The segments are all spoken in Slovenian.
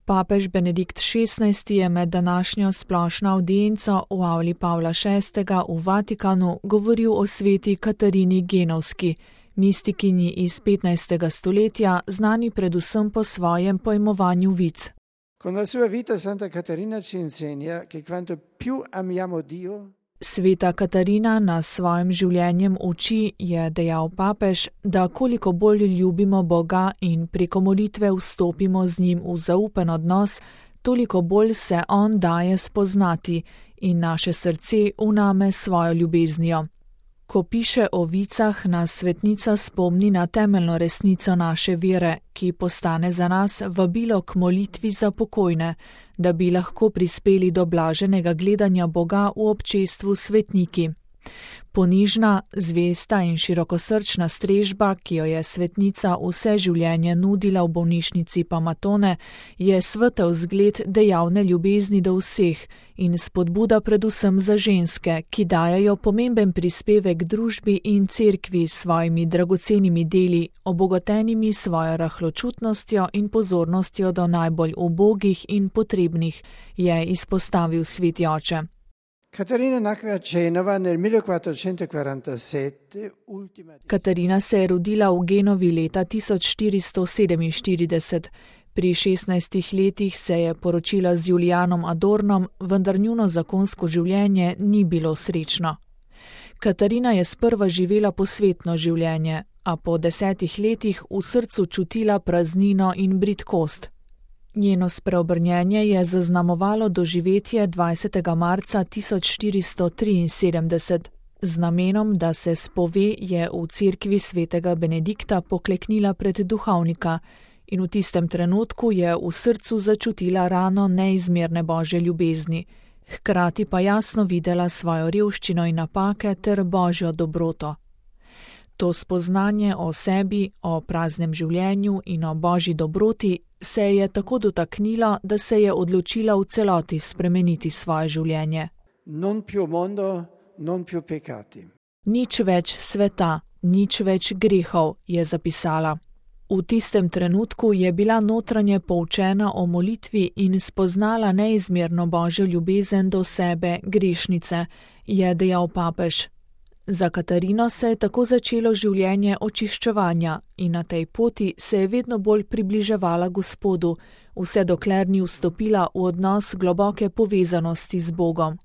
Papež Benedikt XVI je med današnjo splošno avdienco v avli Pavla VI. V Vatikanu govoril o sveti Katarini Genovski, mistikinji iz 15. stoletja, znani predvsem po svojem pojmovanju vic. Con la sua vita Santa Caterina ci insegna che quanto più amiamo Dio, Sveta Katarina nas svojim življenjem uči, je dejal papež, da koliko bolj ljubimo Boga in preko molitve vstopimo z njim v zaupen odnos, toliko bolj se on daje spoznati in naše srce vname svojo ljubeznijo. Ko piše o vicah, nas svetnica spomni na temeljno resnico naše vere, ki postane za nas vabilo k molitvi za pokojne, da bi lahko prispeli do blaženega gledanja Boga v občestvu svetniki. Ponižna, zvesta in širokosrčna strežba, ki jo je svetnica vse življenje nudila v bolnišnici Pamatone, je svetel zgled dejavne ljubezni do vseh in spodbuda predvsem za ženske, ki dajajo pomemben prispevek družbi in cerkvi s svojimi dragocenimi deli, obogatenimi svojo rahločutnostjo in pozornostjo do najbolj ubogih in potrebnih, je izpostavil sveti oče. Caterina nacque a Genova nel 1447, Katarina se je rodila v Genovi leta 1447. Pri 16 letih se je poročila z Julijanom Adornom, vendar njuno zakonsko življenje ni bilo srečno. Katarina je sprva živela posvetno življenje, a po 10 letih v srcu čutila praznino in bridkost. Njeno spreobrnjenje je zaznamovalo doživetje 20. marca 1473. Z namenom, da se spove, je v cerkvi svetega Benedikta pokleknila pred duhovnika in v tistem trenutku je v srcu začutila rano neizmerne božje ljubezni, hkrati pa jasno videla svojo revščino in napake ter božjo dobroto. To spoznanje o sebi, o praznem življenju in o božji dobroti se je tako dotaknilo, da se je odločila v celoti spremeniti svoje življenje. non più mondo, non più peccati. Nič več sveta, nič več grehov, je zapisala. V tistem trenutku je bila notranje poučena o molitvi in spoznala neizmerno božjo ljubezen do sebe, grešnice, je dejal papež. Za Katarino se je tako začelo življenje očiščevanja in na tej poti se je vedno bolj približevala Gospodu, vse dokler ni vstopila v odnos globoke povezanosti z Bogom.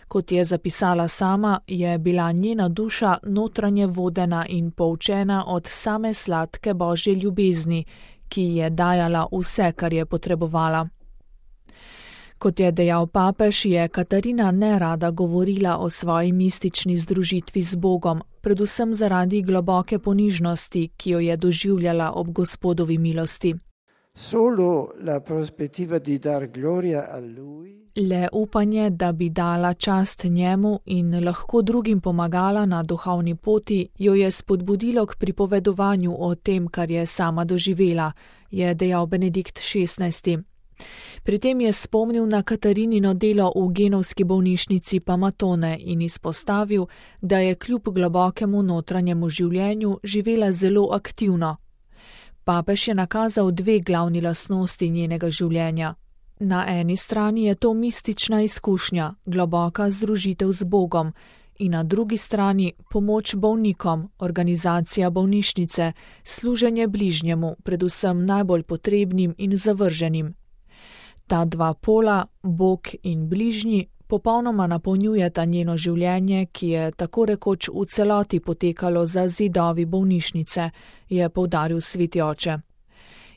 Kot je zapisala sama, je bila njena duša notranje vodena in poučena od same sladke božje ljubezni, ki je dajala vse, kar je potrebovala. Kot je dejal papež, je Katarina nerada govorila o svoji mistični združitvi z Bogom, predvsem zaradi globoke ponižnosti, ki jo je doživljala ob Gospodovi milosti. Solo la prospettiva di dar gloria a lui, Le upanje, da bi dala čast njemu in lahko drugim pomagala na duhovni poti, jo je spodbudilo k pripovedovanju o tem, kar je sama doživela, je dejal Benedikt XVI. Pri tem je spomnil na Katarinino delo v genovski bolnišnici Pamatone in izpostavil, da je kljub globokemu notranjemu življenju živela zelo aktivno. Papež je nakazal dve glavni lastnosti njenega življenja. Na eni strani je to mistična izkušnja, globoka združitev z Bogom, in na drugi strani pomoč bolnikom, organizacija bolnišnice, služenje bližnjemu, predvsem najbolj potrebnim in zavrženim. Ta dva pola, Bog in bližnji, popolnoma napolnjujeta njeno življenje, ki je tako rekoč v celoti potekalo za zidovi bolnišnice, je poudaril sveti oče.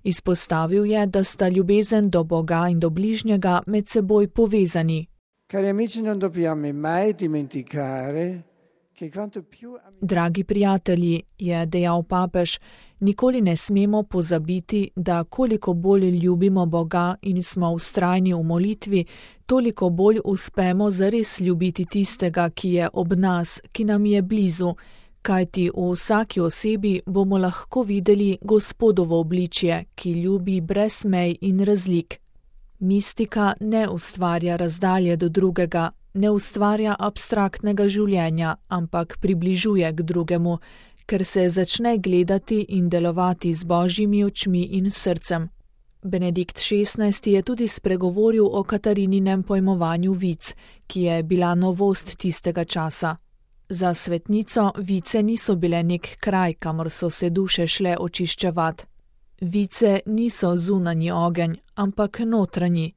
Izpostavil je, da sta ljubezen do Boga in do bližnjega med seboj povezani. cari amici, non dobbiamo mai dimenticare che quanto più Dragi prijatelji, je dejal papež, nikoli ne smemo pozabiti, da koliko bolj ljubimo Boga in smo vztrajni v molitvi, toliko bolj uspemo zares ljubiti tistega, ki je ob nas, ki nam je blizu, kajti v vsaki osebi bomo lahko videli Gospodovo obličje, ki ljubi brez mej in razlik. Mistika ne ustvarja razdalje do drugega, ne ustvarja abstraktnega življenja, ampak približuje k drugemu, ker se začne gledati in delovati z božjimi očmi in srcem. Benedikt XVI je tudi spregovoril o Katarininem pojmovanju vic, ki je bila novost tistega časa. Za svetnico vice niso bile nek kraj, kamor so se duše šle očiščevat. Vice niso zunanji ogenj, ampak notranji.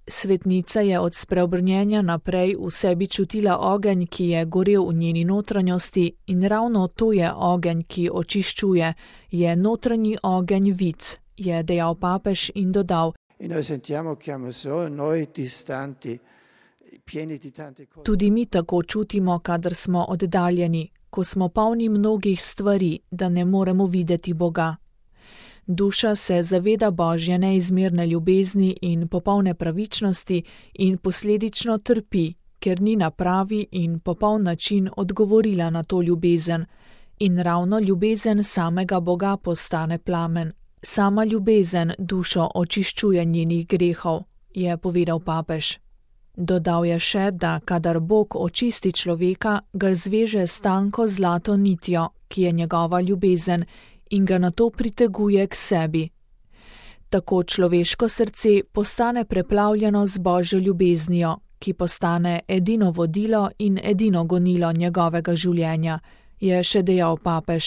Svetnica je od spreobrnjenja naprej v sebi čutila ogenj, ki je gorel v njeni notranjosti, in ravno to je ogenj, ki očiščuje, je notranji ogenj vic, je dejal papež in dodal: Tudi mi tako čutimo, kadar smo oddaljeni, ko smo polni mnogih stvari, da ne moremo videti Boga. Duša se zaveda Božje neizmerne ljubezni in popolne pravičnosti in posledično trpi, ker ni na pravi in popoln način odgovorila na to ljubezen. In ravno ljubezen samega Boga postane plamen. Sama ljubezen dušo očiščuje njenih grehov, je povedal papež. Dodal je še, da kadar Bog očisti človeka, ga zveže s tanko zlato nitjo, ki je njegova ljubezen, in ga nato priteguje k sebi. Tako človeško srce postane preplavljeno z Božjo ljubeznijo, ki postane edino vodilo in edino gonilo njegovega življenja, je še dejal papež.